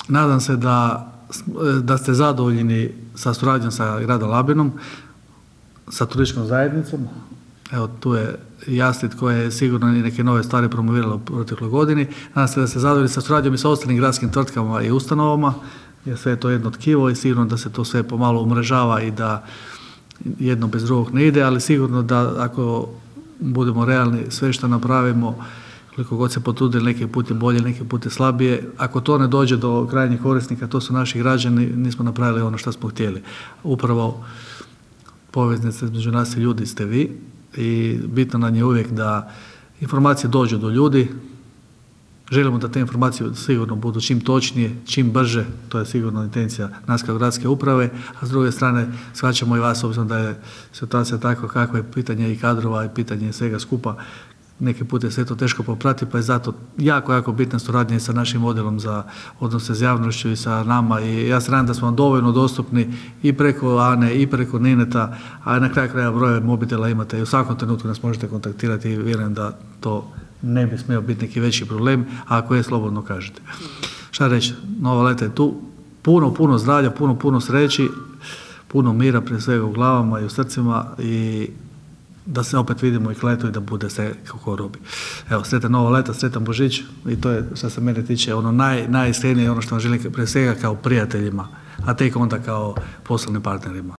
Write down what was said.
Nadam se da ste zadovoljni sa suradnjom sa gradom Labinom, sa turističkom zajednicom. Evo, tu je Jaslit koja je sigurno i neke nove stvari promovirala u protekloj godini. Nadam se da ste zadovoljni sa suradnjom i sa ostalim gradskim tvrtkama i ustanovama, jer sve je to jedno tkivo i sigurno da se to sve pomalo umrežava i da jedno bez drugog ne ide, ali sigurno da ako budemo realni, sve što napravimo, koliko god se potrudili, neki put je bolje, neki put je slabije, ako to ne dođe do krajnjih korisnika, to su naši građani, nismo napravili ono što smo htjeli. Upravo poveznica između nas i ljudi ste vi i bitno nam je uvijek da informacije dođu do ljudi. Želimo da te informacije sigurno budu čim točnije, čim brže, to je sigurno intencija nas kao gradske uprave, a s druge strane shvaćamo i vas, obzirom da je situacija takva kakva je, pitanje i kadrova i pitanje svega skupa, neki put je sve to teško popratiti, pa je zato jako bitna suradnja sa našim odjelom za odnose s javnošću i sa nama i ja se nadam da smo vam dovoljno dostupni i preko Ane i preko Nineta, a na kraju krajeva broje mobitela imate i u svakom trenutku nas možete kontaktirati i vjerujem da to ne bi smio biti neki veći problem, a ako je, slobodno kažete. Šta reći, nova leta je tu, puno zdravlja, puno sreći, puno mira prije svega u glavama i u srcima i da se opet vidimo i k letu i da bude sve kako robi. Evo, sretan nova leta, sretan Božić i to je što se mene tiče ono najiskrenije, ono što vam želim prije svega kao prijateljima, a tek onda kao poslovnim partnerima.